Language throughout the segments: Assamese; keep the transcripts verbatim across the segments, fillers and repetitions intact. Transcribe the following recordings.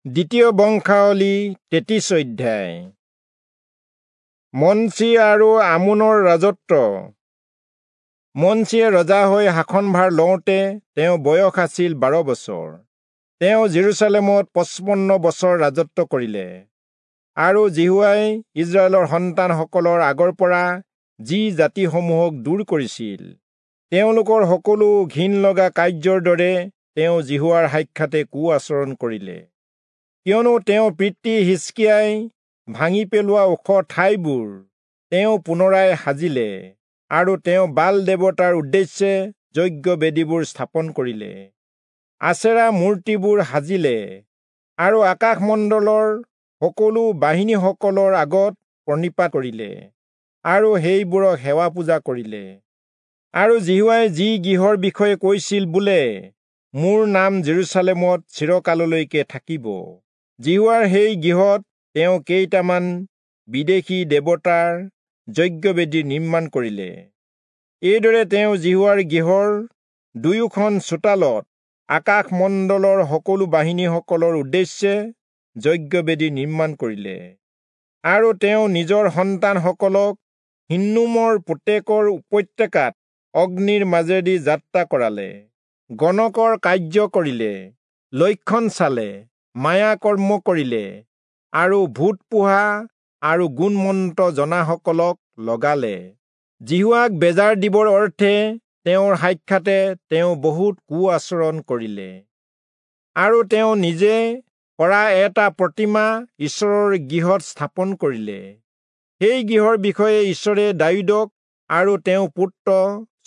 দ্বিতীয় বংশাৱলী তেত্ৰিশ অধ্যায়। মনচি আৰু আমোনৰ ৰাজত্ব। মনচিয়ে ৰজা হৈ শাসনভাৰ লওঁতে তেওঁ বয়স আছিল বাৰ বছৰ। তেওঁ জেৰুচালেমত পঁচপন্ন বছৰ ৰাজত্ব কৰিলে। আৰু যিহোৱাই ইস্ৰায়েলৰ সন্তানসকলৰ আগৰ পৰা যি জাতিসমূহক দূৰ কৰিছিল, তেওঁলোকৰ সকলো ঘিণ লগা কাৰ্যৰ দৰে তেওঁ যিহোৱাৰ সাক্ষাতে কু আচৰণ কৰিলে। কিয়নো তেওঁ পিতৃ হিজকিয়াই ভাঙি পেলোৱা ওখ ঠাইবোৰ তেওঁ পুনৰাই সাজিলে আৰু তেওঁ বাল দেৱতাৰ উদ্দেশ্যে যজ্ঞ বেদীবোৰ স্থাপন কৰিলে, আচেৰা মূৰ্তিবোৰ সাজিলে আৰু আকাশমণ্ডলৰ সকলো বাহিনীসকলৰ আগত প্ৰণিপাত কৰিলে আৰু সেইবোৰক সেৱা পূজা কৰিলে। আৰু যিহোৱাই যি গৃহৰ বিষয়ে কৈছিল বোলে, মোৰ নাম জেৰুচালেমত চিৰকাললৈকে থাকিব, যিহোৱাৰ সেই গৃহত তেওঁ কেইটামান বিদেশী দেৱতাৰ যজ্ঞবেদী নিৰ্মাণ কৰিলে। এইদৰে তেওঁ যিহোৱাৰ গৃহৰ দুয়োখন চোতালত আকাশমণ্ডলৰ সকলো বাহিনীসকলৰ উদ্দেশ্যে যজ্ঞবেদী নিৰ্মাণ কৰিলে। আৰু তেওঁ নিজৰ সন্তানসকলক হিন্নোমৰ পুতেকৰ উপত্যকাত অগ্নিৰ মাজেদি যাত্ৰা কৰালে, গণকৰ কাৰ্য কৰিলে, লক্ষণ চালে, মায়া কৰ্ম কৰিলে আৰু ভূত পোহা আৰু গুণমন্ত্ৰ জনাসকলক লগালে। যিহোৱাক বেজাৰ দিবৰ অৰ্থে তেওঁৰ সাক্ষাতে তেওঁ বহুত কু আচৰণ কৰিলে। আৰু তেওঁ নিজে কৰা এটা প্ৰতিমা ঈশ্বৰৰ গৃহত স্থাপন কৰিলে। সেই গৃহৰ বিষয়ে ঈশ্বৰে দায়ূদক আৰু তেওঁৰ পুত্ৰ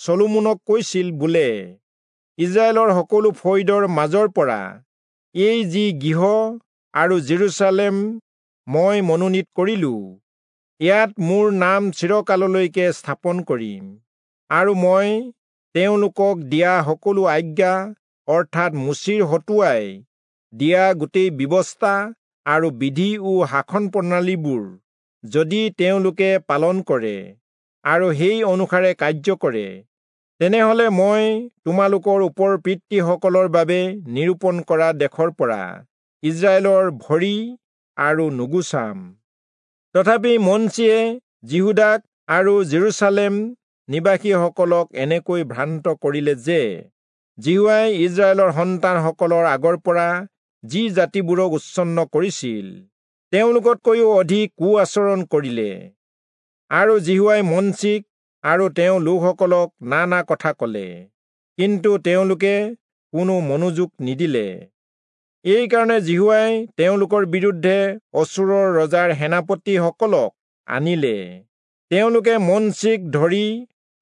চলোমনক কৈছিল বোলে, ইস্ৰায়েলৰ সকলো ফৈদৰ মাজৰ পৰা এই যি গৃহ আৰু জেৰুচালেম মই মনোনীত কৰিলো, ইয়াত মোৰ নাম চিৰকাললৈকে স্থাপন কৰিম। আৰু মই তেওঁলোকক দিয়া সকলো আজ্ঞা, অৰ্থাৎ মোচিৰ হতুৱাই দিয়া গোটেই ব্যৱস্থা আৰু বিধি ও শাসন প্ৰণালীবোৰ যদি তেওঁলোকে পালন কৰে আৰু সেই অনুসাৰে কাৰ্য কৰে, তেনেহলে মই তোমালোকৰ ওপৰ পিতৃসকলৰ বাবে নিৰূপণ কৰা দেশৰ পৰা ইস্ৰায়েলৰ ভৰি আৰু নুগুচাম। তথাপি মনচিয়ে যিহূদাক আৰু জেৰুচালেম নিবাসীসকলক এনেকৈ ভ্ৰান্ত কৰিলে যে যিহোৱাই ইস্ৰায়েলৰ সন্তানসকলৰ আগৰ পৰা যি জাতিবোৰক উচ্ছন্ন কৰিছিল, তেওঁলোকতকৈও অধিক কু আচৰণ কৰিলে। আৰু যিহোৱাই মনচিক আৰু তেওঁ লোকসকলক নানা কথা কলে, কিন্তু তেওঁলোকে কোনো মনোযোগ নিদিলে। এইকাৰণে যিহোৱাই তেওঁলোকৰ বিৰুদ্ধে অচূৰৰ ৰজাৰ সেনাপতিসকলক আনিলে। তেওঁলোকে মনচিক ধৰি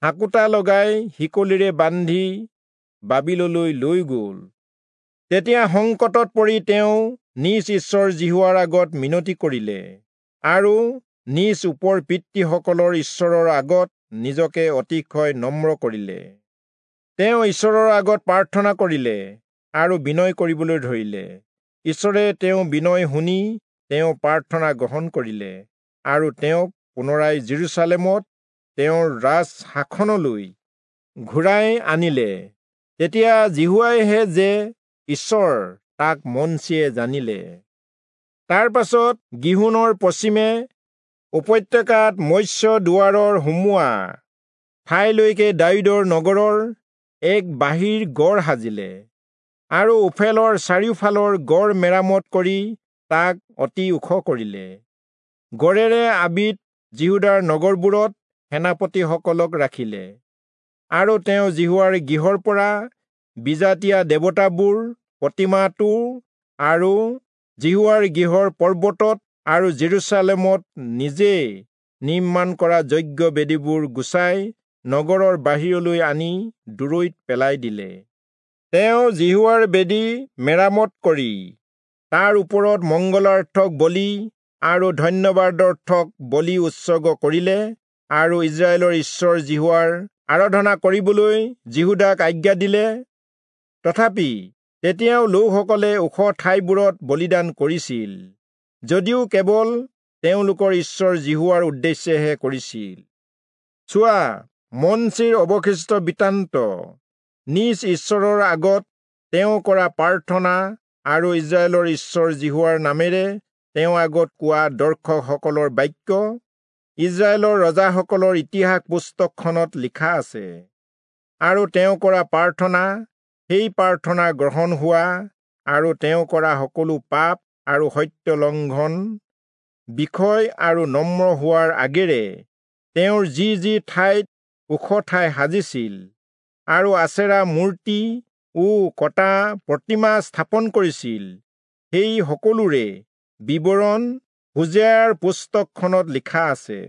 হাকোটা লগাই শিকলিৰে বান্ধি বাবিললৈ লৈ গল। তেতিয়া সংকটত পৰি তেওঁ নিজ ঈশ্বৰ যিহোৱাৰ আগত মিনতি কৰিলে আৰু নিজ ওপৰ পিতৃসকলৰ ঈশ্বৰৰ আগত নিজকে অতিশয় নম্ৰ কৰিলে। তেওঁ ঈশ্বৰৰ আগত প্ৰাৰ্থনা কৰিলে আৰু বিনয় কৰিবলৈ ধৰিলে। ঈশ্বৰে তেওঁ বিনয় শুনি তেওঁ প্ৰাৰ্থনা গ্ৰহণ কৰিলে আৰু তেওঁক পুনৰাই জেৰুচালেমত তেওঁৰ ৰাজ শাসনলৈ ঘূৰাই আনিলে। তেতিয়া যিহোৱাইহে যে ঈশ্বৰ, তাক মনচিয়ে জানিলে। তাৰ পাছত গিহোনৰ পশ্চিমে উপত্যকাত মৎস্য দুৱাৰৰ সোমোৱা ঠাইলৈকে দায়ূদৰ নগৰৰ এক বাহিৰ গড় সাজিলে আৰু ওফেলৰ চাৰিওফালৰ গড় মেৰামত কৰি তাক অতি ওখ কৰিলে। গড়েৰে আবিত যিহূদাৰ নগৰবোৰত সেনাপতিসকলক ৰাখিলে। আৰু তেওঁ যিহোৱাৰ গৃহৰ পৰা বিজাতীয়া দেৱতাবোৰ, প্ৰতিমাটো আৰু যিহোৱাৰ গৃহৰ পৰ্বতত আৰু জেৰুচালেমত নিজে নিৰ্মাণ কৰা যজ্ঞ বেদীবোৰ গুচাই নগৰৰ বাহিৰলৈ আনি দূৰৈত পেলাই দিলে। তেওঁ যিহোৱাৰ বেদী মেৰামত কৰি তাৰ ওপৰত মংগলাৰ্থক বলি আৰু ধন্যবাদাৰ্থক বলি উৎসৰ্গ কৰিলে আৰু ইস্ৰায়েলৰ ঈশ্বৰ যিহোৱাৰ আৰাধনা কৰিবলৈ যিহূদাক আজ্ঞা দিলে। তথাপি তেতিয়াও লোকসকলে ওখ ঠাইবোৰত বলিদান কৰিছিল, যদিও কেৱল তেওঁলোকৰ ঈশ্বৰ যিহোৱাৰ উদ্দেশ্যেহে কৰিছিল। চোৱা, মনচিৰ অৱশিষ্ট বৃত্তান্ত, নিজ ঈশ্বৰৰ আগত তেওঁ কৰা প্ৰাৰ্থনা আৰু ইস্ৰায়েলৰ ঈশ্বৰ যিহোৱাৰ নামেৰে তেওঁ আগত কোৱা দৰ্শকসকলৰ বাক্য ইস্ৰায়েলৰ ৰজাসকলৰ ইতিহাস পুস্তকখনত লিখা আছে। আৰু তেওঁ কৰা প্ৰাৰ্থনা, সেই প্ৰাৰ্থনা গ্ৰহণ হোৱা আৰু তেওঁ কৰা সকলো পাপ আৰু সত্য লংঘন বিষয় আৰু নম্ৰ হোৱাৰ আগেৰে তেওঁৰ যি যি ঠাইত ওখ ঠাই সাজিছিল আৰু আচেৰা মূৰ্তি ও কটা প্ৰতিমা স্থাপন কৰিছিল, সেই সকলোৰে বিৱৰণ হোজেয়াৰ পুস্তকখনত লিখা আছে।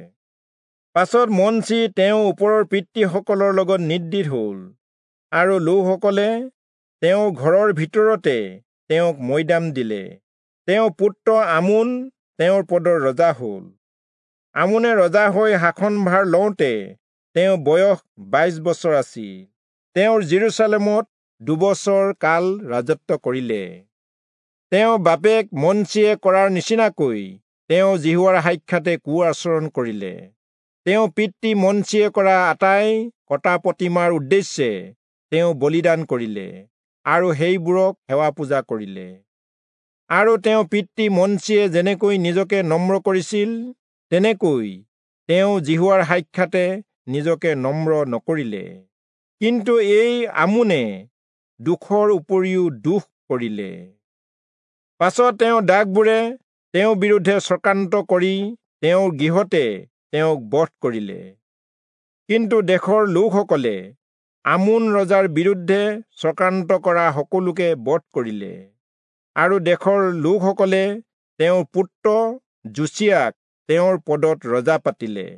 পাছত মনচি তেওঁ ওপৰৰ পিতৃসকলৰ লগত নিদ্ৰিত হল আৰু লোকসকলে তেওঁৰ ঘৰৰ ভিতৰতে তেওঁক মৈদাম দিলে। তেওঁ পুত্ৰ আমোন তেওঁৰ পদৰ ৰজা হল। আমোনে ৰজা হৈ শাসনভাৰ লওঁতে তেওঁ বয়স বাইশ বছৰ আছিল। তেওঁৰ যিৰূচালেমত দুবছৰ কাল ৰাজত্ব কৰিলে। তেওঁ বাপেক মনচিয়ে কৰাৰ নিচিনাকৈ তেওঁ যিহোৱাৰ সাক্ষাতে কু আচৰণ কৰিলে। তেওঁ পিতৃ মনচিয়ে কৰা আটাই কটা প্ৰতিমাৰ উদ্দেশ্যে তেওঁ বলিদান কৰিলে আৰু সেইবোৰক সেৱা পূজা কৰিলে। আৰু তেওঁ পিতৃ মনচিয়ে যেনেকৈ নিজকে নম্ৰ কৰিছিল, তেনেকৈ তেওঁ যিহোৱাৰ সাক্ষাতে নিজকে নম্ৰ নকৰিলে। কিন্তু এই আমোনে দুখৰ উপৰিও দুখ কৰিলে। পাছত তেওঁ দাসবোৰে তেওঁৰ বিৰুদ্ধে চক্ৰান্ত কৰি তেওঁৰ গৃহতে তেওঁক বধ কৰিলে। কিন্তু দেশৰ লোকসকলে আমোন ৰজাৰ বিৰুদ্ধে চক্ৰান্ত কৰা সকলোকে বধ কৰিলে। আৰু দেশৰ লোকসকলে তেওঁৰ পুত্ৰ যোচিয়াক তেওঁৰ পদত ৰজা পাতিলে।